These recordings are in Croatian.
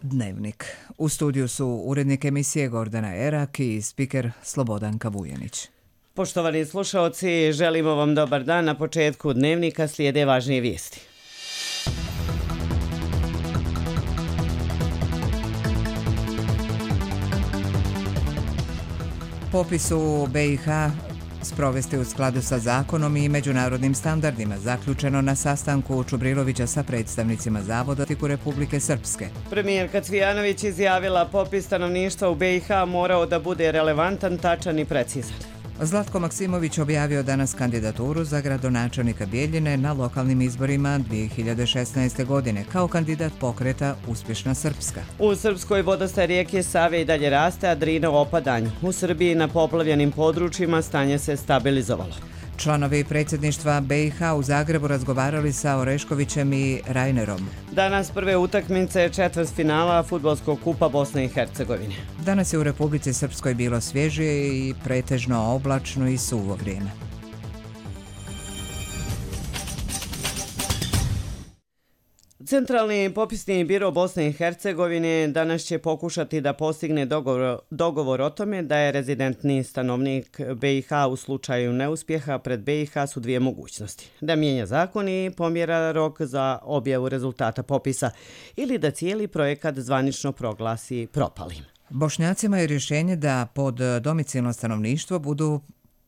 Dnevnik. U studiju su urednik emisije Gordana Erak i spiker Slobodanka Vujanić. Poštovani slušaoci, želimo vam dobar dan. Na početku Dnevnika slijede važnije vijesti. Popis u BiH sprovesti u skladu sa zakonom i međunarodnim standardima, zaključeno na sastanku Čubrilovića sa predstavnicima Zavoda u Republike Srpske. Premijerka Cvijanović izjavila popis stanovništva u BiH morao da bude relevantan, tačan i precizan. Zlatko Maksimović objavio danas kandidaturu za gradonačelnika Bijeljine na lokalnim izborima 2016. godine kao kandidat pokreta Uspješna Srpska. U Srpskoj vodostaj rijeke Save i dalje raste, a Drina u opadanju. U Srbiji na poplavljenim područjima stanje se stabilizovalo. Članovi predsjedništva BiH u Zagrebu razgovarali sa Oreškovićem i Rajnerom. Danas prve utakmice četvrtfinala Fudbalskog kupa Bosne i Hercegovine. Danas je u Republici Srpskoj bilo svježije i pretežno oblačno i suvo vrijeme. Centralni popisni biro Bosne i Hercegovine danas će pokušati da postigne dogovor o tome da je rezidentni stanovnik BiH u slučaju neuspjeha pred BiH su dvije mogućnosti. Da mijenja zakon i pomjera rok za objavu rezultata popisa ili da cijeli projekat zvanično proglasi propalim. Bošnjacima je rješenje da pod domicilno stanovništvo budu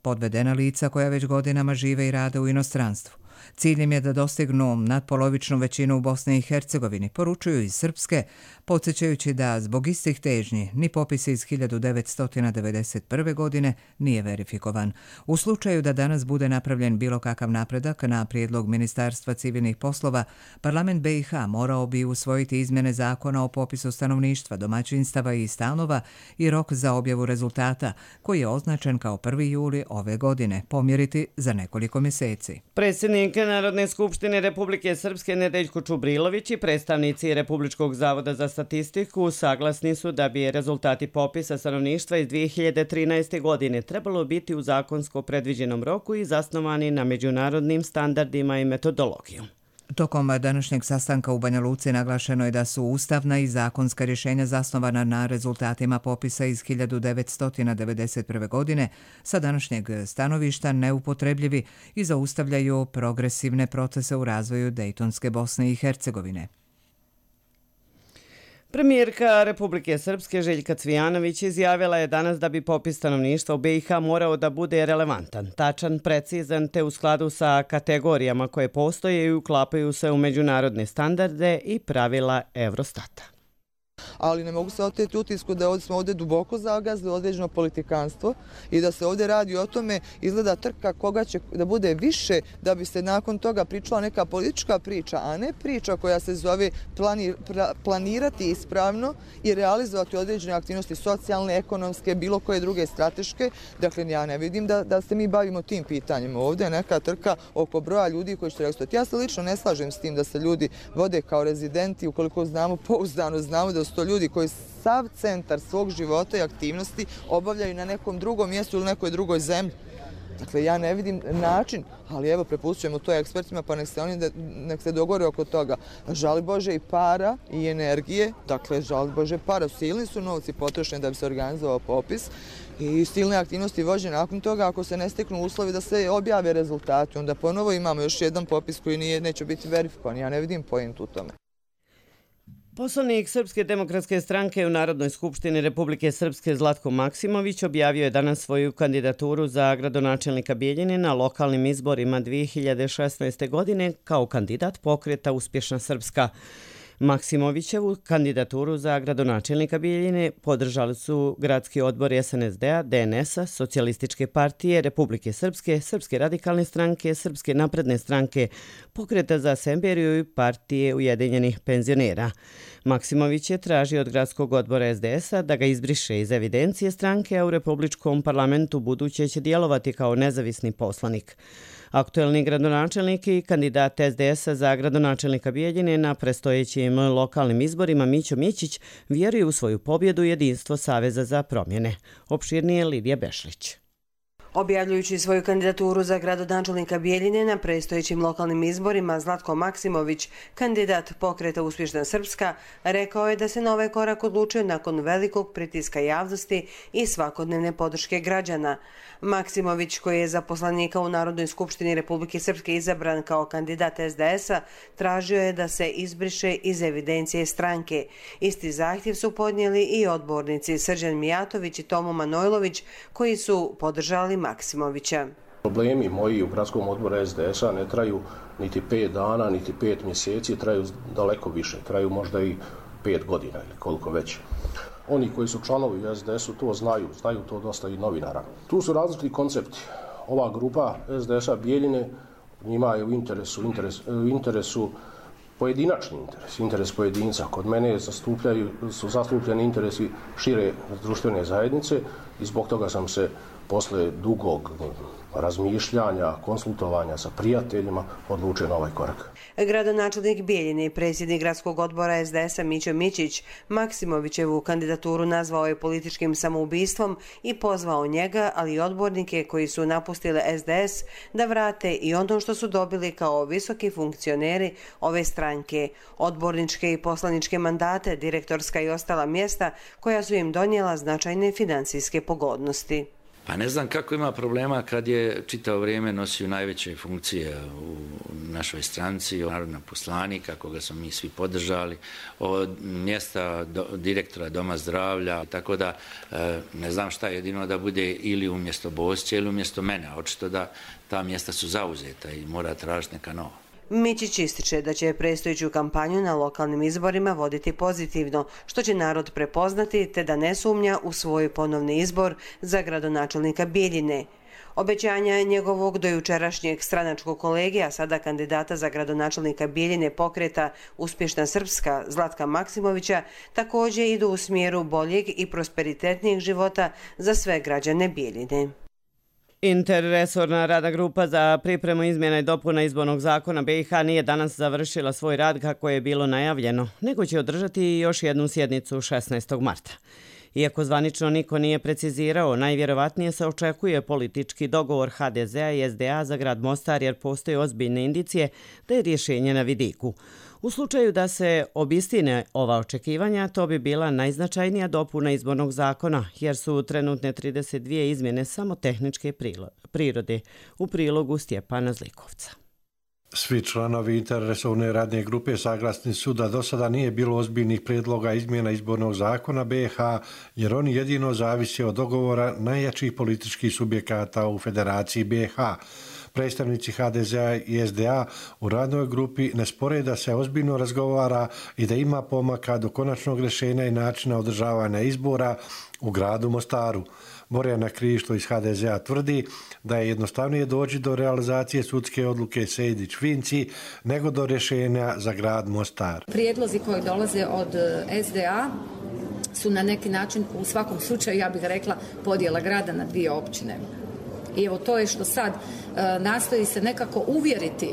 podvedena lica koja već godinama žive i rade u inostranstvu. Ciljem je da dostignu nadpolovičnu većinu u Bosni i Hercegovini, poručuju iz Srpske, podsjećajući da zbog istih težnji ni popis iz 1991. godine nije verifikovan. U slučaju da danas bude napravljen bilo kakav napredak na prijedlog Ministarstva civilnih poslova, parlament BiH morao bi usvojiti izmjene zakona o popisu stanovništva, domaćinstava i stanova i rok za objavu rezultata, koji je označen kao 1. juli ove godine, pomjeriti za nekoliko mjeseci. Predsjednik Narodne skupštine Republike Srpske Nedeljko Čubrilović i predstavnici Republičkog zavoda za statistiku saglasni su da bi rezultati popisa stanovništva iz 2013. godine trebalo biti u zakonsko predviđenom roku i zasnovani na međunarodnim standardima i metodologijom. Tokom današnjeg sastanka u Banja Luci naglašeno je da su ustavna i zakonska rješenja zasnovana na rezultatima popisa iz 1991. godine sa današnjeg stanovišta neupotrebljivi i zaustavljaju progresivne procese u razvoju Dejtonske Bosne i Hercegovine. Premijerka Republike Srpske Željka Cvijanović izjavila je danas da bi popis stanovništva u BiH morao da bude relevantan, tačan, precizan te u skladu sa kategorijama koje postoje i uklapaju se u međunarodne standarde i pravila Eurostata. Ali ne mogu se oteti utisku da smo ovdje duboko zagazili određeno politikanstvo i da se ovdje radi o tome, izgleda trka koga će da bude više da bi se nakon toga pričala neka politička priča, a ne priča koja se zove planirati ispravno i realizovati određene aktivnosti socijalne, ekonomske, bilo koje druge strateške. Dakle, ja ne vidim da se mi bavimo tim pitanjima. Ovdje je neka trka oko broja ljudi koji će realizovati. Ja se lično ne slažem s tim da se ljudi vode kao rezidenti, ukoliko znamo, pouzdano znamo da su to ljudi koji sav centar svog života i aktivnosti obavljaju na nekom drugom mjestu ili nekoj drugoj zemlji. Dakle, ja ne vidim način, ali evo, prepustujemo to ekspertima, pa nek se dogovore oko toga. Žali Bože i para i energije, dakle, žali Bože para, silni su novci potrošeni da bi se organizovao popis i silne aktivnosti vođene. Nakon toga, ako se ne steknu uslovi da se objave rezultati, onda ponovo imamo još jedan popis koji neće biti verifikovan. Ja ne vidim pojentu u tome. Poslanik Srpske demokratske stranke u Narodnoj skupštini Republike Srpske Zlatko Maksimović objavio je danas svoju kandidaturu za gradonačelnika Bijeljine na lokalnim izborima 2016. godine kao kandidat pokreta Uspješna Srpska. Maksimovićevu kandidaturu za gradonačelnika Bijeljine podržali su gradski odbor SNSD-a, DNS-a, Socijalističke partije Republike Srpske, Srpske radikalne stranke, Srpske napredne stranke, Pokreta za Semberiju i partije Ujedinjenih penzionera. Maksimović je tražio od gradskog odbora SDS-a da ga izbriše iz evidencije stranke, a u Republičkom parlamentu buduće će djelovati kao nezavisni poslanik. Aktuelni gradonačelnik i kandidat SDS-a za gradonačelnika Bijeljine na predstojećim lokalnim izborima Mićo Mićić vjeruje u svoju pobjedu i jedinstvo Saveza za promjene. Opširnije Lidija Bešlić. Objavljujući svoju kandidaturu za gradonačelnika Bjeljine na predstojećim lokalnim izborima, Zlatko Maksimović, kandidat Pokreta Uspješna Srpska, rekao je da se na ovaj korak odlučio nakon velikog pritiska javnosti i svakodnevne podrške građana. Maksimović, koji je za poslanika u Narodnoj skupštini Republike Srpske izabran kao kandidat SDS-a, tražio je da se izbriše iz evidencije stranke. Isti zahtjev su podnijeli i odbornici Srđan Mijatović i Tomo Manojlović, koji su podržali Maksimovića. Problemi moji u gradskom odboru SDS-a ne traju niti 5 dana, niti 5 mjeseci, traju daleko više, traju možda i 5 godina ili koliko već. Oni koji su članovi u SDS-u to znaju to dosta i novinara. Tu su različiti koncepti. Ova grupa SDS-a Bjeljine, njima je u interesu pojedinačni interes pojedinca. Kod mene su zastupljeni interesi šire društvene zajednice i zbog toga sam se posle dugog razmišljanja, konsultovanja sa prijateljima odlučio na ovaj korak. Gradonačelnik Bjeljine i predsjednik gradskog odbora SDS-a Mićo Mićić Maksimovićevu kandidaturu nazvao je političkim samoubistvom i pozvao njega, ali i odbornike koji su napustili SDS da vrate i ono što su dobili kao visoki funkcioneri ove stranke, odborničke i poslaničke mandate, direktorska i ostala mjesta koja su im donijela značajne financijske pogodnosti. Pa ne znam kako ima problema kad je čitavo vrijeme nosio najveće funkcije u našoj stranci, narodna poslanika, koga smo mi svi podržali, od mjesta direktora Doma zdravlja, tako da ne znam šta jedino da bude ili umjesto Bosća ili umjesto mene, očito da ta mjesta su zauzeta i mora tražiti neka nova. Mićić ističe da će predstojeću kampanju na lokalnim izborima voditi pozitivno, što će narod prepoznati te da ne sumnja u svoj ponovni izbor za gradonačelnika Bjeljine. Obećanja njegovog dojučerašnjeg stranačkog kolege, a sada kandidata za gradonačelnika Bjeljine Pokreta Uspješna Srpska Zlatka Maksimovića, također idu u smjeru boljeg i prosperitetnijeg života za sve građane Bjeljine. Interresorna radna grupa za pripremu izmjena i dopuna izbornog zakona BiH nije danas završila svoj rad kako je bilo najavljeno, nego će održati još jednu sjednicu 16. marta. Iako zvanično niko nije precizirao, najvjerovatnije se očekuje politički dogovor HDZ-a i SDA za grad Mostar jer postoje ozbiljne indicije da je rješenje na vidiku. U slučaju da se obistine ova očekivanja, to bi bila najznačajnija dopuna izbornog zakona, jer su trenutne 32 izmjene samo tehničke prirode, u prilogu Stjepana Zlikovca. Svi članovi interresorne radne grupe saglasni su da do sada nije bilo ozbiljnih prijedloga izmjena izbornog zakona BiH, jer oni jedino zavise od dogovora najjačih političkih subjekata u Federaciji BiH. Predstavnici HDZ-a i SDA u radnoj grupi ne spore da se ozbiljno razgovara i da ima pomaka do konačnog rješenja i načina održavanja izbora u gradu Mostaru. Borjana Krišto iz HDZ-a tvrdi da je jednostavnije doći do realizacije sudske odluke Sejdić-Finci nego do rješenja za grad Mostar. Prijedlozi koji dolaze od SDA su na neki način, u svakom slučaju, ja bih rekla, podjela grada na dvije općine. I evo to je što sad nastoji se nekako uvjeriti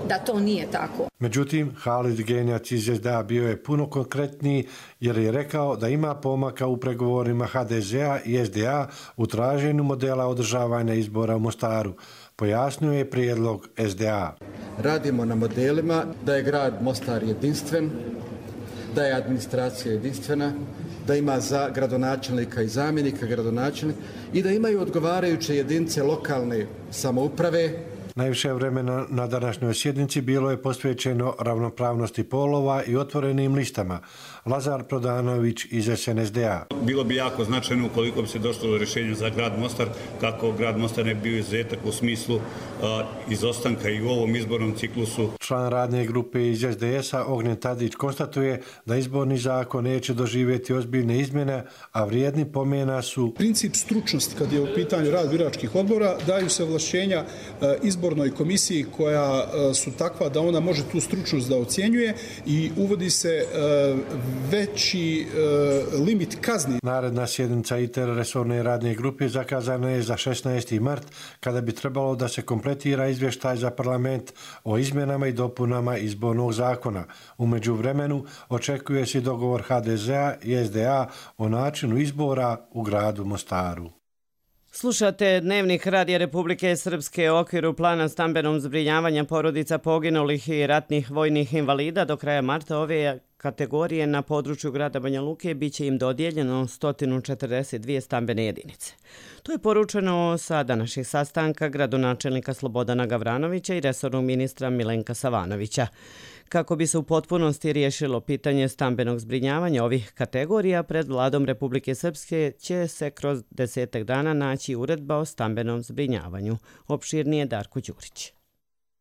da to nije tako. Međutim, Halid Genjac iz SDA bio je puno konkretniji jer je rekao da ima pomaka u pregovorima HDZ-a i SDA u traženju modela održavanja izbora u Mostaru. Pojasnio je prijedlog SDA. Radimo na modelima da je grad Mostar jedinstven, da je administracija jedinstvena, da ima za gradonačelnika i zamjenika gradonačelnika i da imaju odgovarajuće jedinice lokalne samouprave. Najviše vremena na današnjoj sjednici bilo je posvećeno ravnopravnosti polova i otvorenim listama. Lazar Prodanović iz SNSD-a. Bilo bi jako značajno ukoliko bi se došlo do rješenja za grad Mostar, kako grad Mostar ne bio izuzetak u smislu izostanka i u ovom izbornom ciklusu. Član radne grupe iz SDS-a Ognjen Tadić konstatuje da izborni zakon neće doživjeti ozbiljne izmjene, a vrijedni pomena su princip stručnosti kad je u pitanju rad biračkih odbora, daju se ovlašćenja izbornoj komisiji koja su takva da ona može tu stručnost da ocjenjuje i uvodi se veći limit kazni. Naredna sjednica interresorne radne grupe zakazana je za 16. mart, kada bi trebalo da se kompletira izvještaj za parlament o izmjenama i dopunama izbornog zakona. U međuvremenu očekuje se dogovor HDZ-a i SDA o načinu izbora u gradu Mostaru. Slušate Dnevnik Radija Republike Srpske u okviru plana stambenog zbrinjavanja porodica poginulih i ratnih vojnih invalida. Do kraja marta ove kategorije na području grada Banja Luke biće im dodijeljeno 142 stambene jedinice. To je poručeno sa današnjeg sastanka gradonačelnika Slobodana Gavranovića i resornog ministra Milenka Savanovića. Kako bi se u potpunosti riješilo pitanje stambenog zbrinjavanja ovih kategorija, pred vladom Republike Srpske će se kroz 10 dana naći uredba o stambenom zbrinjavanju. Opširnije Darko Đurić.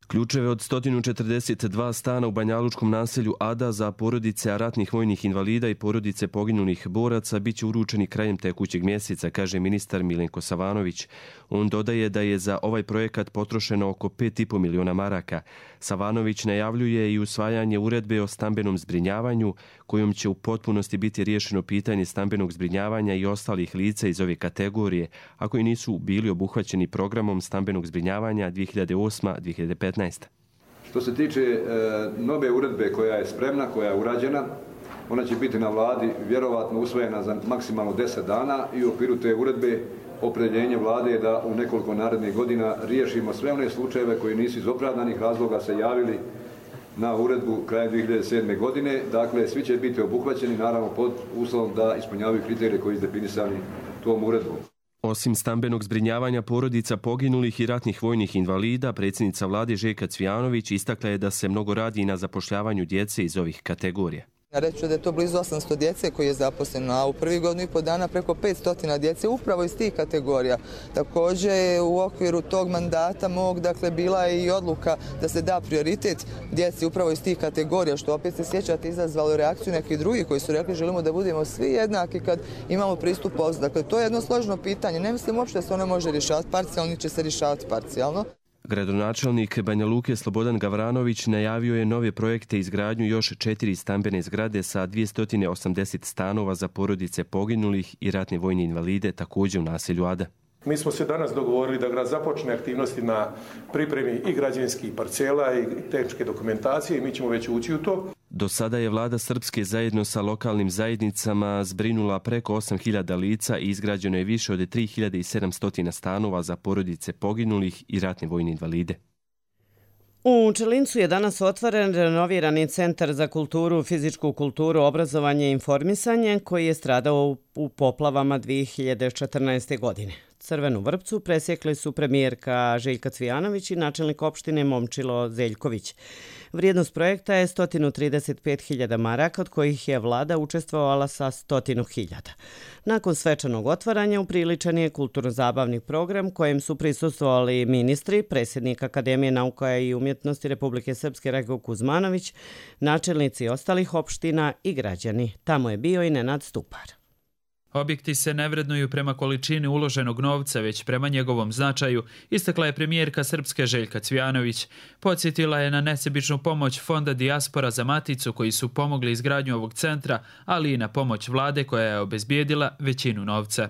Ključeve od 142 stana u banjalučkom naselju Ada za porodice ratnih vojnih invalida i porodice poginulih boraca biće uručeni krajem tekućeg mjeseca, kaže ministar Milenko Savanović. On dodaje da je za ovaj projekat potrošeno oko 5,5 miliona maraka. Savanović najavljuje i usvajanje uredbe o stambenom zbrinjavanju, kojom će u potpunosti biti riješeno pitanje stambenog zbrinjavanja i ostalih lica iz ove kategorije, a koji nisu bili obuhvaćeni programom stambenog zbrinjavanja 2008-2015. Što se tiče nove uredbe koja je spremna, koja je urađena, ona će biti na vladi vjerovatno usvojena za maksimalno 10 dana i u okviru te uredbe opredjeljenje vlade je da u nekoliko narednih godina riješimo sve one slučajeve koji nisu iz opravdanih razloga se javili na uredbu krajem 2007. godine. Dakle, svi će biti obuhvaćeni, naravno pod uslovom da ispunjavaju kriterije koji su definisani tom uredbom. Osim stambenog zbrinjavanja porodica poginulih i ratnih vojnih invalida, predsjednica vlade Željka Cvijanović istakla je da se mnogo radi i na zapošljavanju djece iz ovih kategorija. Reću da je to blizu 800 djece koji je zaposleno, a u prvih godinu i po dana preko 500 djece upravo iz tih kategorija. Također u okviru tog mandata mog, bila je i odluka da se da prioritet djeci upravo iz tih kategorija, što opet se sjećate izazvalo reakciju nekih drugih koji su rekli želimo da budemo svi jednaki kad imamo pristup poslu. Dakle, to je jedno složeno pitanje. Ne mislim uopšte da se ono može rješavati parcijalno, će se rješavati parcijalno. Gradonačelnik Banja Luke Slobodan Gavranović najavio je nove projekte izgradnju još 4 stambene zgrade sa 280 stanova za porodice poginulih i ratne vojne invalide također u naselju Ada. Mi smo se danas dogovorili da grad započne aktivnosti na pripremi i građevinskih parcela i tehničke dokumentacije i mi ćemo već ući u to. Do sada je vlada Srpske zajedno sa lokalnim zajednicama zbrinula preko 8.000 lica i izgrađeno je više od 3.700 stanova za porodice poginulih i ratne vojne invalide. U Čelincu je danas otvoren renovirani centar za kulturu, fizičku kulturu, obrazovanje i informisanje koji je stradao u poplavama 2014. godine. Crvenu vrpcu presjekli su premijerka Željka Cvijanović i načelnik opštine Momčilo Zeljković. Vrijednost projekta je 135.000 maraka, od kojih je vlada učestvovala sa 100.000. Nakon svečanog otvaranja upriličen je kulturno-zabavni program kojem su prisustvovali ministri, predsjednik Akademije nauka i umjetnosti Republike Srpske Rajko Kuzmanović, načelnici ostalih opština i građani. Tamo je bio i Nenad Stupar. Objekti se ne vrednuju prema količini uloženog novca, već prema njegovom značaju, istakla je premijerka Srpske Željka Cvijanović. Podsjetila je na nesebičnu pomoć Fonda Dijaspora za Maticu koji su pomogli izgradnju ovog centra, ali i na pomoć vlade koja je obezbijedila većinu novca.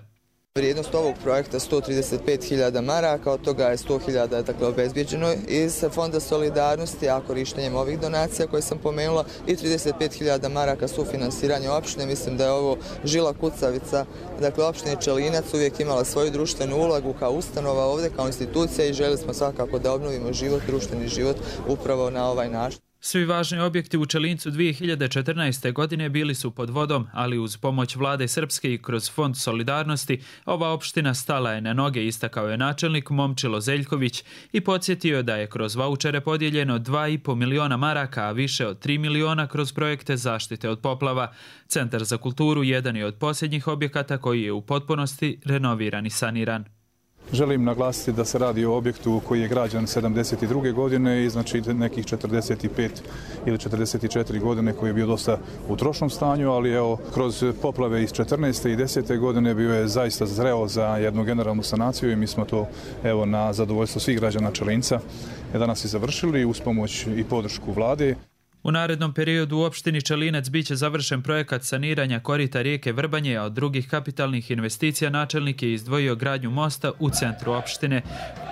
Vrijednost ovog projekta 135.000 maraka, od toga je 100.000 obezbijeđeno iz Fonda solidarnosti, a korištenjem ovih donacija koje sam pomenula i 35.000 maraka sufinansiranje opštine. Mislim da je ovo žila kucavica. Dakle, opština Čelinac uvijek imala svoju društvenu ulogu kao ustanova ovdje, kao institucija i željeli smo svakako da obnovimo život, društveni život upravo na ovaj način. Svi važni objekti u Čelincu 2014. godine bili su pod vodom, ali uz pomoć vlade Srpske i kroz Fond solidarnosti ova opština stala je na noge, istakao je načelnik Momčilo Zeljković i podsjetio da je kroz vaučere podijeljeno 2,5 miliona maraka, a više od 3 miliona kroz projekte zaštite od poplava. Centar za kulturu jedan je od posljednjih objekata koji je u potpunosti renoviran i saniran. Želim naglasiti da se radi o objektu koji je građan 72. godine i znači nekih 45 ili 44 godine koji je bio dosta u trošnom stanju, ali evo kroz poplave iz 14. i 10. godine bio je zaista zreo za jednu generalnu sanaciju i mi smo to evo na zadovoljstvo svih građana Čelinca danas i završili uz pomoć i podršku vlade. U narednom periodu u opštini Čelinac biće završen projekat saniranja korita rijeke Vrbanje, a od drugih kapitalnih investicija načelnik je izdvojio gradnju mosta u centru opštine.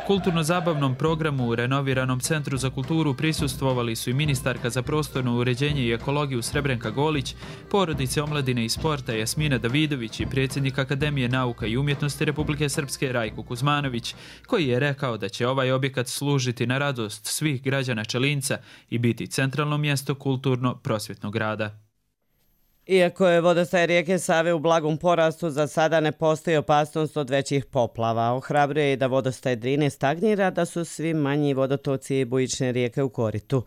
Kulturno-zabavnom programu u renoviranom Centru za kulturu prisustvovali su i ministarka za prostorno uređenje i ekologiju Srebrenka Golić, porodice omladine i sporta Jasmina Davidović i predsjednik Akademije nauka i umjetnosti Republike Srpske Rajko Kuzmanović, koji je rekao da će ovaj objekat služiti na radost svih građana Čelinca i biti centralno mjesto kulturno-prosvjetnog rada. Iako je vodostaj rijeke Save u blagom porastu, za sada ne postoji opasnost od većih poplava. Ohrabruje i da vodostaj Drine stagnira, da su svi manji vodotoci i bujične rijeke u koritu.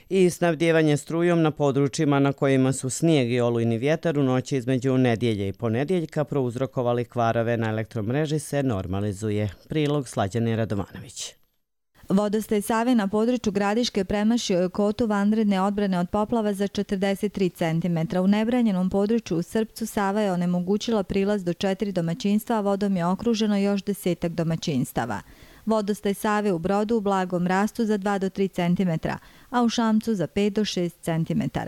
I snabdijevanje strujom na područjima na kojima su snijeg i olujni vjetar u noći između nedjelje i ponedjeljka prouzrokovali kvarove na elektromreži se normalizuje. Prilog Slađane Radovanović. Vodostaj Save na području Gradiške premašio je kotu vanredne odbrane od poplava za 43 cm. U nebranjenom području u Srpcu Sava je onemogućila prilaz do 4 domaćinstva, a vodom je okruženo još 10 domaćinstava. Vodostaj Save u Brodu u blagom rastu za 2 do 3 cm, a u Šamcu za 5 do 6 cm.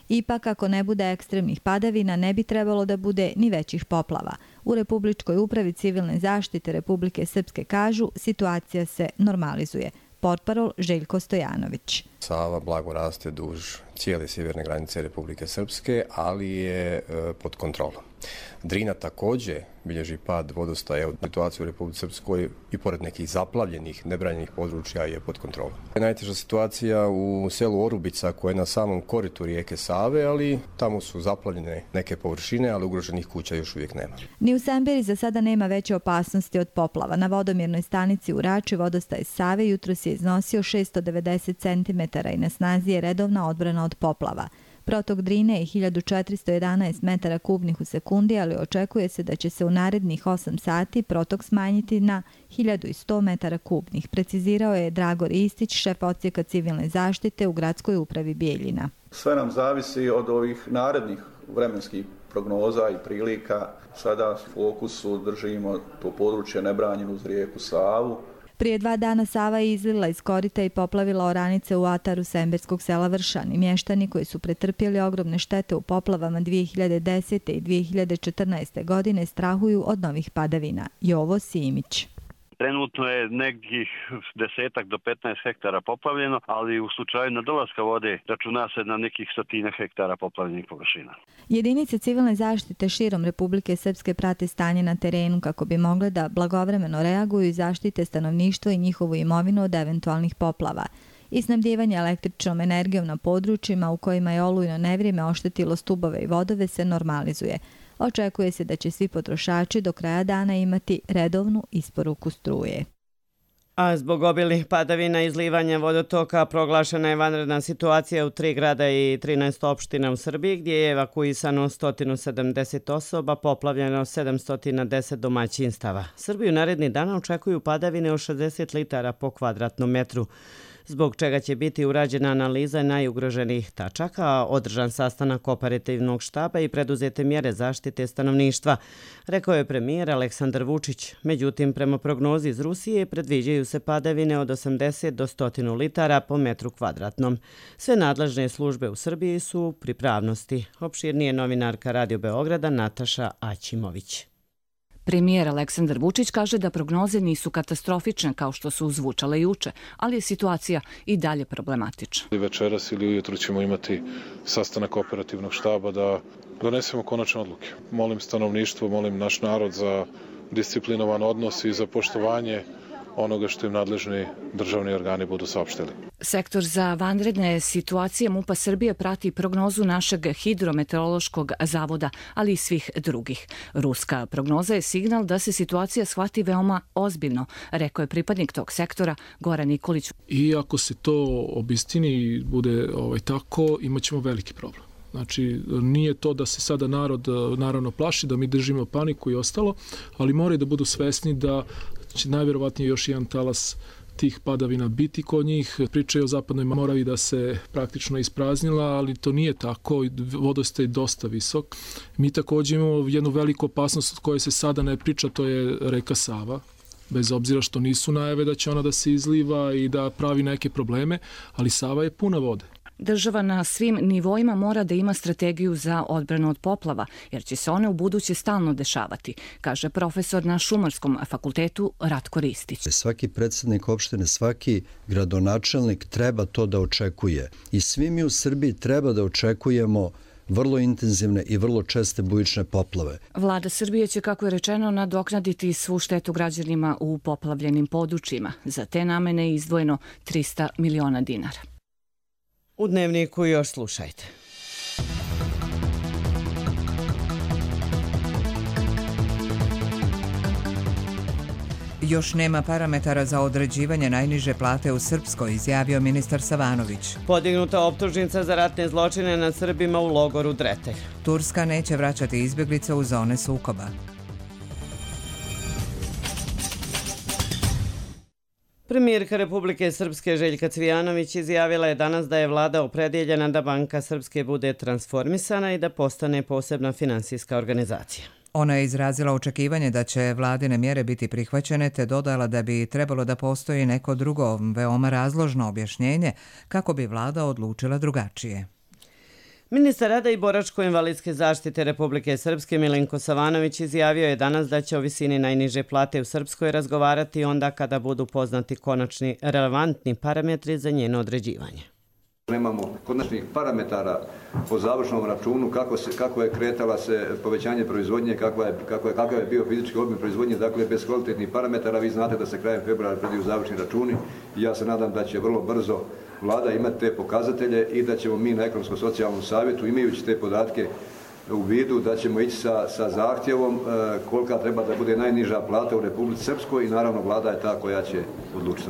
Ipak, ako ne bude ekstremnih padavina, ne bi trebalo da bude ni većih poplava. U Republičkoj upravi civilne zaštite Republike Srpske kažu, situacija se normalizuje. Portparol Željko Stojanović. Sava blago raste duž cijele sjeverne granice Republike Srpske, ali je pod kontrolom. Drina također bilježi pad vodostaja. Situacija u Republici Srpskoj i pored nekih zaplavljenih, nebranjenih područja je pod kontrolom. Najteža situacija u selu Orubica koja je na samom koritu rijeke Save, ali tamo su zaplavljene neke površine, ali ugroženih kuća još uvijek nema. Ni u Semberi za sada nema veće opasnosti od poplava. Na vodomjernoj stanici u Rači vodostaj Save jutros je iznosio 690 cm i na snazi je redovna odbrana od poplava. Protok Drine je 1411 metara kubnih u sekundi, ali očekuje se da će se u narednih 8 sati protok smanjiti na 1100 metara kubnih, precizirao je Dragor Istić, šef odsjeka civilne zaštite u gradskoj upravi Bijeljina. Sve nam zavisi od ovih narednih vremenskih prognoza i prilika. Sada u fokusu držimo to područje nebranjeno uz rijeku Savu. Prije 2 dana Sava je izlila iz korita i poplavila oranice u ataru semberskog sela Vršani. Mještani koji su pretrpjeli ogromne štete u poplavama 2010. i 2014. godine strahuju od novih padavina. Jovo Simić. Trenutno je nekih 10 do 15 hektara poplavljeno, ali u slučaju nadolaska vode računa se na nekih 100 hektara poplavljenih površina. Jedinice civilne zaštite širom Republike Srpske prate stanje na terenu kako bi mogle da blagovremeno reaguju i zaštite stanovništvo i njihovu imovinu od eventualnih poplava. I snabdijevanje električnom energijom na područjima u kojima je olujno nevrijeme oštetilo stubove i vodove se normalizuje. Očekuje se da će svi potrošači do kraja dana imati redovnu isporuku struje. A zbog obilnih padavina i izlivanja vodotoka proglašena je vanredna situacija u 3 grada i 13 opština u Srbiji, gdje je evakuisano 170 osoba, poplavljeno 710 domaćinstava. Srbiju naredni dana očekuju padavine od 60 litara po kvadratnom metru, zbog čega će biti urađena analiza najugroženijih tačaka, održan sastanak operativnog štaba i preduzete mjere zaštite stanovništva, rekao je premijer Aleksandar Vučić. Međutim, prema prognozi iz Rusije predviđaju se padavine od 80 do 100 litara po metru kvadratnom. Sve nadležne službe u Srbiji su u pripravnosti. Opširnije novinarka Radio Beograda Nataša Aćimović. Premijer Aleksandar Vučić kaže da prognoze nisu katastrofične kao što su zvučale juče, ali je situacija i dalje problematična. Večeras ili ujutro ćemo imati sastanak operativnog štaba da donesemo konačne odluke. Molim stanovništvo, molim naš narod za disciplinovan odnos i za poštovanje onoga što im nadležni državni organi budu saopštili. Sektor za vanredne situacije MUP-a Srbije prati prognozu našeg hidrometeorološkog zavoda, ali i svih drugih. Ruska prognoza je signal da se situacija shvati veoma ozbiljno, rekao je pripadnik tog sektora Goran Nikolić. I ako se to obistini i bude tako, imat ćemo veliki problem. Znači, nije to da se sada narod naravno plaši, da mi držimo paniku i ostalo, ali moraju da budu svesni da će najvjerovatnije još jedan talas tih padavina biti kod njih. Pričaju o Zapadnoj Moravi da se praktično ispraznila, ali to nije tako. Vodostaj je dosta visok. Mi također imamo jednu veliku opasnost od koje se sada ne priča, to je reka Sava. Bez obzira što nisu najave da će ona da se izliva i da pravi neke probleme, ali Sava je puna vode. Država na svim nivoima mora da ima strategiju za odbranu od poplava, jer će se one u buduće stalno dešavati, kaže profesor na Šumarskom fakultetu Ratko Ristić. Svaki predsjednik opštine, svaki gradonačelnik treba to da očekuje. I svi mi u Srbiji treba da očekujemo vrlo intenzivne i vrlo česte bujične poplave. Vlada Srbije će, kako je rečeno, nadoknaditi svu štetu građanima u poplavljenim područjima. Za te namene je izdvojeno 300 miliona dinara. U Dnevniku još slušajte. Još nema parametara za određivanje najniže plate u Srpskoj, izjavio ministar Savanović. Podignuta optužnica za ratne zločine nad Srbima u logoru Dretelj. Turska neće vraćati izbjeglice u zone sukoba. Premijerka Republike Srpske Željka Cvijanović izjavila je danas da je vlada opredjeljena da Banka Srpske bude transformisana i da postane posebna finansijska organizacija. Ona je izrazila očekivanje da će vladine mjere biti prihvaćene, te dodala da bi trebalo da postoji neko drugo, veoma razložno objašnjenje kako bi vlada odlučila drugačije. Ministar rada i boračko-invalidske zaštite Republike Srpske Milenko Savanović izjavio je danas da će o visini najniže plate u Srpskoj razgovarati onda kada budu poznati konačni relevantni parametri za njeno određivanje. Nemamo konačnih parametara po završnom računu kako je kretala se povećanje proizvodnje, kakav je bio fizički obim proizvodnje, dakle bez kvalitetnih parametara. Vi znate da se krajem februara predaju završni računi i ja se nadam da će vrlo brzo vlada imati te pokazatelje i da ćemo mi na ekonomsko-socijalnom savjetu, imajući te podatke u vidu, da ćemo ići sa zahtjevom kolika treba da bude najniža plata u Republici Srpskoj i naravno vlada je ta koja će odlučiti.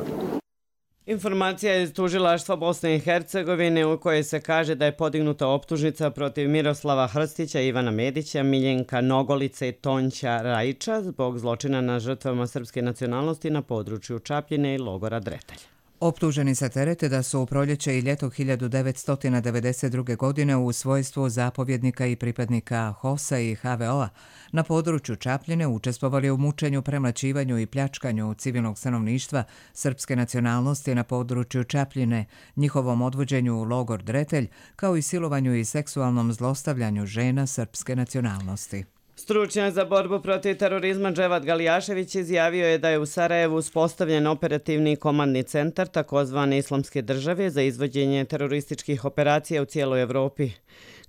Informacija iz tužilaštva Bosne i Hercegovine u kojoj se kaže da je podignuta optužnica protiv Miroslava Hrstića, Ivana Medića, Miljenka Nogolice i Tonća Rajića zbog zločina na žrtvama srpske nacionalnosti na području Čapljine i logora Dretelj. Optuženi se terete da su u proljeće i ljeto 1992. godine u svojstvu zapovjednika i pripadnika HOS-a i HVO-a na području Čapljine učestvovali u mučenju, premlaćivanju i pljačkanju civilnog stanovništva srpske nacionalnosti na području Čapljine, njihovom odvođenju u logor Dretelj, kao i silovanju i seksualnom zlostavljanju žena srpske nacionalnosti. Stručnjak za borbu protiv terorizma Dževat Galijašević izjavio je da je u Sarajevu uspostavljen operativni komandni centar takozvane Islamske države za izvođenje terorističkih operacija u cijeloj Evropi.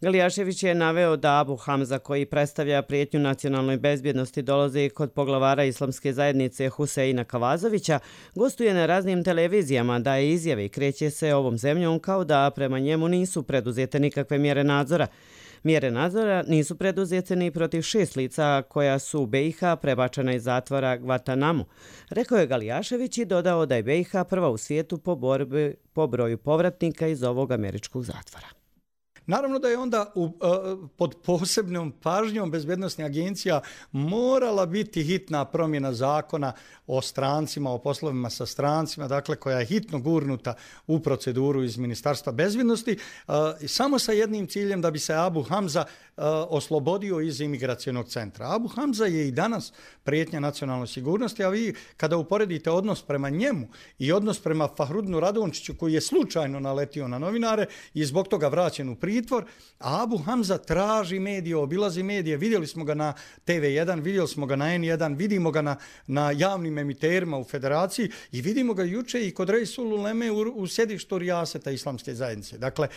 Galijašević je naveo da Abu Hamza, koji predstavlja prijetnju nacionalnoj bezbjednosti, dolazi kod poglavara Islamske zajednice Huseina Kavazovića, gostuje na raznim televizijama, daje izjave i kreće se ovom zemljom kao da prema njemu nisu preduzete nikakve mjere nadzora. Mjere nadzora nisu preduzete ni protiv 6 lica koja su u BiH prebačena iz zatvora Guantanamo, rekao je Galijašević i dodao da je BiH prva u svijetu po broju povratnika iz ovog američkog zatvora. Naravno da je onda pod posebnom pažnjom bezbjednosnih agencija morala biti hitna promjena zakona o strancima, o poslovima sa strancima, dakle koja je hitno gurnuta u proceduru iz Ministarstva bezbjednosti, samo sa jednim ciljem da bi se Abu Hamza oslobodio iz imigracionog centra. Abu Hamza je i danas prijetnja nacionalnoj sigurnosti, a vi kada uporedite odnos prema njemu i odnos prema Fahrudinu Radončiću koji je slučajno naletio na novinare i zbog toga vraćen u pritvor, a Abu Hamza traži medije, obilazi medije, vidjeli smo ga na TV1, vidjeli smo ga na N1, vidimo ga na javnim emiterima u Federaciji i vidimo ga juče i kod Reisul Uleme u sjedištu Rijaseta Islamske zajednice. Dakle,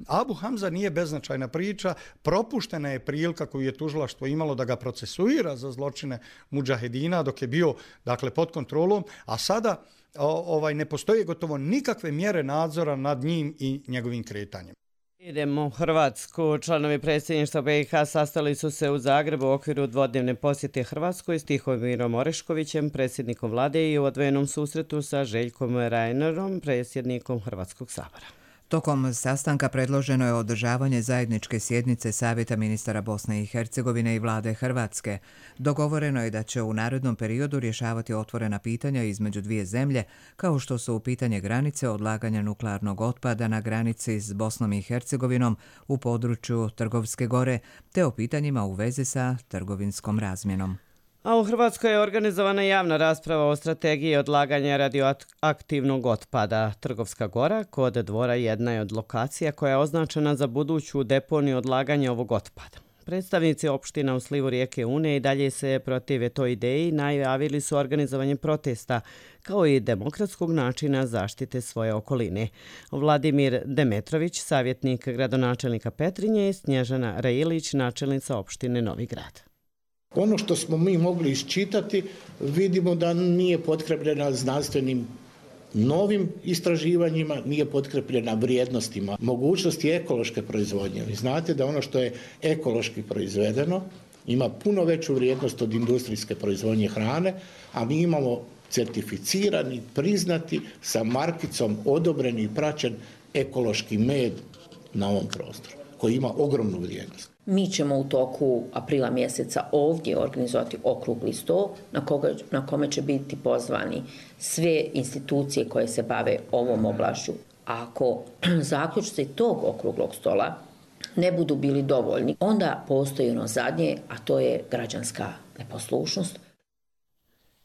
Abu Hamza nije beznačajna priča, propuštena je prilika koju je tužilaštvo imalo da ga procesuira za zločine mudžahedina dok je bio pod kontrolom, a sada ne postoje gotovo nikakve mjere nadzora nad njim i njegovim kretanjem. Idemo u Hrvatsku. Članovi predsjedništva BiH sastali su se u Zagrebu u okviru dvodnevne posjete Hrvatskoj s Tihomirom Oreškovićem, predsjednikom vlade, i u odvojenom susretu sa Željkom Reinerom, predsjednikom Hrvatskog sabora. Tokom sastanka predloženo je održavanje zajedničke sjednice Savjeta ministara Bosne i Hercegovine i vlade Hrvatske. Dogovoreno je da će u narednom periodu rješavati otvorena pitanja između dvije zemlje, kao što su pitanje granice, odlaganja nuklearnog otpada na granici s Bosnom i Hercegovinom u području Trgovske gore, te o pitanjima u vezi sa trgovinskom razmjenom. A u Hrvatskoj je organizovana javna rasprava o strategiji odlaganja radioaktivnog otpada. Trgovska Gora kod Dvora jedna je od lokacija koja je označena za buduću deponiju odlaganja ovog otpada. Predstavnici opština u slivu rijeke Une i dalje se protive toj ideji, najavili su organizovanje protesta, kao i demokratskog načina zaštite svoje okoline. Vladimir Demetrović, savjetnik gradonačelnika Petrinje, i Snježana Railić, načelnica opštine Novi Grad. Ono što smo mi mogli iščitati, vidimo da nije potkrepljena znanstvenim novim istraživanjima, nije potkrepljena vrijednostima. Mogućnost je ekološke proizvodnje. Vi znate da ono što je ekološki proizvedeno ima puno veću vrijednost od industrijske proizvodnje hrane, a mi imamo certificirani, priznati, sa markicom odobreni i praćen ekološki med na ovom prostoru, koji ima ogromnu vrijednost. Mi ćemo u toku aprila mjeseca ovdje organizovati okrugli sto na kome će biti pozvani sve institucije koje se bave ovom oblašću. Ako zaključci tog okruglog stola ne budu bili dovoljni, onda postoji ono zadnje, a to je građanska neposlušnost.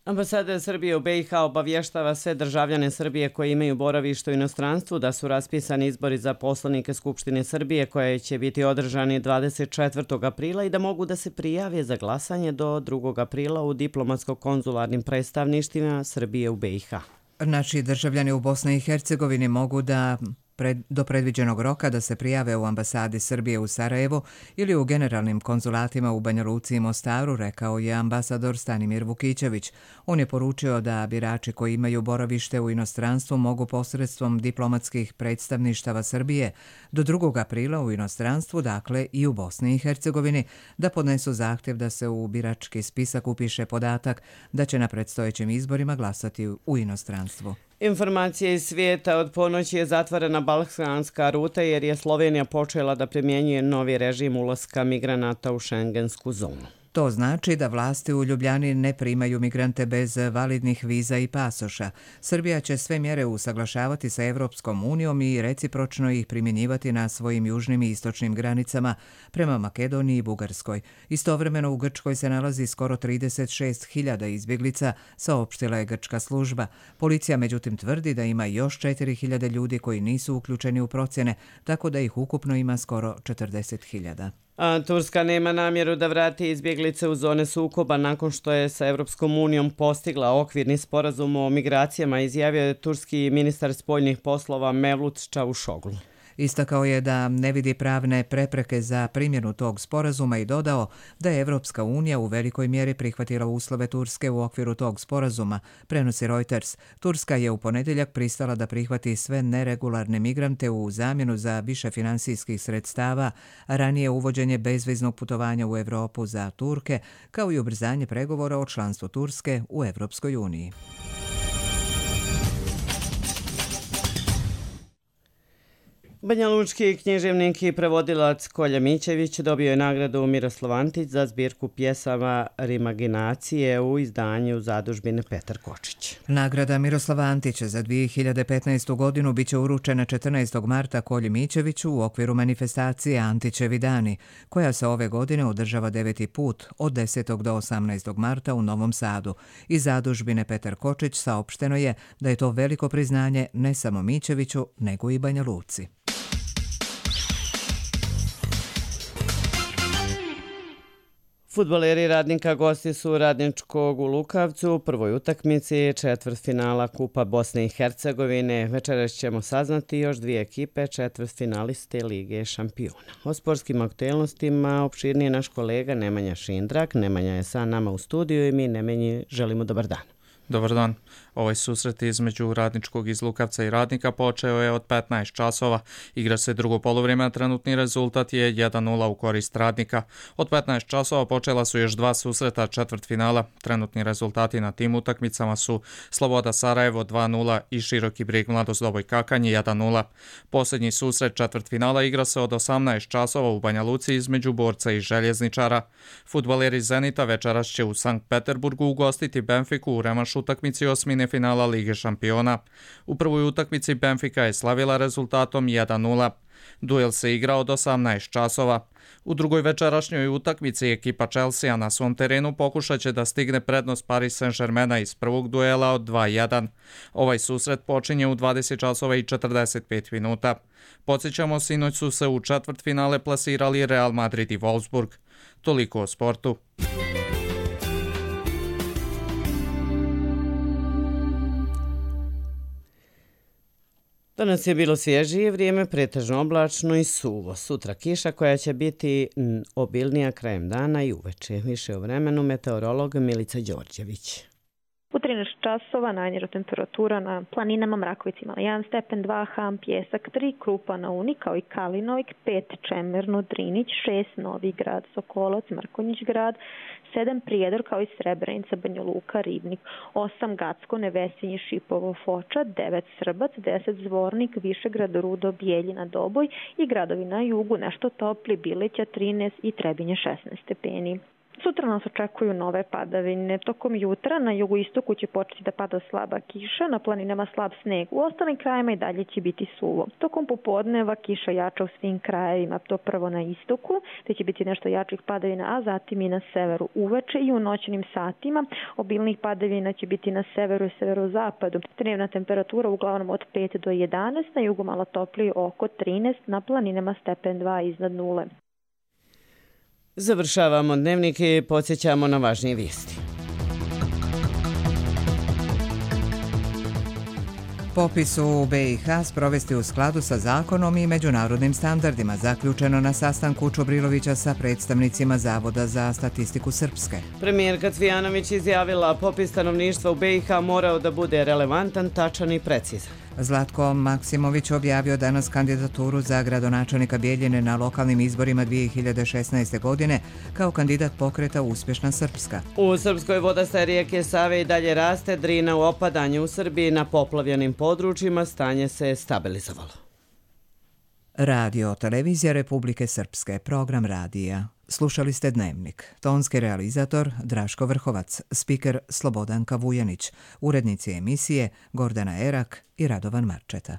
Ambasada Srbije u BiH obavještava sve državljane Srbije koji imaju boravište u inostranstvu da su raspisani izbori za poslanike Skupštine Srbije koje će biti održani 24. aprila i da mogu da se prijave za glasanje do 2. aprila u diplomatsko-konzularnim predstavništvima Srbije u BiH. Naši državljani u Bosni i Hercegovini mogu da do predviđenog roka da se prijave u ambasadi Srbije u Sarajevu ili u generalnim konzulatima u Banja Luci i Mostaru, rekao je ambasador Stanimir Vukićević. On je poručio da birači koji imaju boravište u inostranstvu mogu posredstvom diplomatskih predstavništava Srbije do 2. aprila u inostranstvu, dakle i u Bosni i Hercegovini, da podnesu zahtjev da se u birački spisak upiše podatak da će na predstojećim izborima glasati u inostranstvu. Informacije iz svijeta: od ponoći je zatvorena balkanska ruta jer je Slovenija počela da primjenjuje novi režim ulaska migranata u šengensku zonu. To znači da vlasti u Ljubljani ne primaju migrante bez validnih viza i pasoša. Srbija će sve mjere usaglašavati sa Evropskom unijom i recipročno ih primjenjivati na svojim južnim i istočnim granicama prema Makedoniji i Bugarskoj. Istovremeno u Grčkoj se nalazi skoro 36.000 izbjeglica, saopštila je grčka služba. Policija međutim tvrdi da ima još 4.000 ljudi koji nisu uključeni u procjene, tako da ih ukupno ima skoro 40.000. A Turska nema namjeru da vrati izbjeglice u zone sukoba nakon što je sa Evropskom unijom postigla okvirni sporazum o migracijama, izjavio je turski ministar spoljnih poslova Mevlut Čavuşoglu. Istakao je da ne vidi pravne prepreke za primjenu tog sporazuma i dodao da je Evropska unija u velikoj mjeri prihvatila uslove Turske u okviru tog sporazuma, prenosi Reuters. Turska je u ponedjeljak pristala da prihvati sve neregularne migrante u zamjenu za više finansijskih sredstava, a ranije uvođenje bezviznog putovanja u Evropu za Turke, kao i ubrzanje pregovora o članstvu Turske u Evropskoj uniji. Banjalučki književnik i prevodilac Kolja Mićević dobio je nagradu Miroslav Antić za zbirku pjesama Rimaginacije u izdanju zadužbine Petar Kočić. Nagrada Miroslava Antića za 2015. godinu biće uručena 14. marta Kolji Mićeviću u okviru manifestacije Antićevi dani, koja se ove godine održava 9. put od 10. do 18. marta u Novom Sadu. Iz zadužbine Petar Kočić saopšteno je da je to veliko priznanje ne samo Mićeviću, nego i Banja Luci. Fudbaleri Radnika gosti su Radničkog u Lukavcu u prvoj utakmici četvrtfinala Kupa Bosne i Hercegovine. Večeras ćemo saznati još dvije ekipe četvrtfinaliste Lige šampiona. O sportskim aktualnostima opširnije naš kolega Nemanja Šindrak. Nemanja je sa nama u studiju i mi Nemanji želimo dobar dan. Dobar dan. Ovaj susret između Radničkog iz Lukavca i Radnika počeo je od 15 časova. Igra se drugo polovrijeme, a trenutni rezultat je 1:0 u korist Radnika. Od 15 časova počela su još dva susreta četvrtfinala. Trenutni rezultati na tim utakmicama su Sloboda Sarajevo 2:0 i Široki Brijeg Mladost Doboj Kakanj 1:0. Posljednji susret četvrtfinala igra se od 18 časova u Banja Luci između Borca i Željezničara. Fudbaleri Zenita večeras će u Sankt Peterburgu ugostiti Benfiku u revanšu utakmici osmine finala Lige šampiona. U prvoj utakmici Benfica je slavila rezultatom 1:0. Duel se igra od 18 časova. U drugoj večerašnjoj utakmici ekipa Chelsea na svom terenu pokušat će da stigne prednost Paris Saint-Germaina iz prvog duela od 2:1. Ovaj susret počinje u 20 časova i 45 minuta. Podsjećamo, sinoć su se u četvrtfinale plasirali Real Madrid i Wolfsburg. Toliko o sportu. Danas je bilo svježije vrijeme, pretežno oblačno i suvo. Sutra kiša koja će biti obilnija krajem dana i uveče. Više o vremenu meteorolog Milica Đorđević. U 13 časova najniža temperatura na planinama Mrakovic imala 1 stepen, 2 Ham, Pjesak, 3 Krupa na Uni, kao i Kalinovik, 5 Čemerno, Drinić, 6 Novi Grad, Sokolac, Mrkonjić grad, 7 Prijedor, kao i Srebrenica, Banja Luka, Ribnik, 8 Gacko, Nevesinje, Šipovo, Foča, 9 Srbac, 10 Zvornik, Višegrad, Rudo, Bijeljina, Doboj i gradovi na jugu nešto topli, Bileća 13 i Trebinje 16 stepeni. Sutra nas očekuju nove padavine. Tokom jutra na jugoistoku će početi da pada slaba kiša, na planinama slab sneg. U ostalim krajima i dalje će biti suvo. Tokom popodneva kiša jača u svim krajevima, to prvo na istoku, te će biti nešto jačih padavina, a zatim i na severu. Uveče i u noćnim satima obilnih padavina će biti na severu i severozapadu. Dnevna temperatura uglavnom od 5 do 11, na jugu malo toplije oko 13, na planinama stepen 2 iznad nule. Završavamo dnevnik i podsjećamo na važnije vijesti. Popis u BiH sprovesti u skladu sa zakonom i međunarodnim standardima, zaključeno na sastanku Čobrilovića sa predstavnicima Zavoda za statistiku Srpske. Premijerka Cvijanović izjavila popis stanovništva u BiH morao da bude relevantan, tačan i precizan. Zlatko Maksimović objavio danas kandidaturu za gradonačelnika Bijeljine na lokalnim izborima 2016. godine kao kandidat pokreta Uspješna Srpska. U Srpskoj vodostaj rijeke Save i dalje raste, Drina u opadanju. U Srbiji na poplavljenim područjima stanje se stabilizovalo. Radio Televizija Republike Srpske, program radija. Slušali ste Dnevnik. Tonski realizator Draško Vrhovac, spiker Slobodanka Vujanić, urednici emisije Gordana Erak i Radovan Marčeta.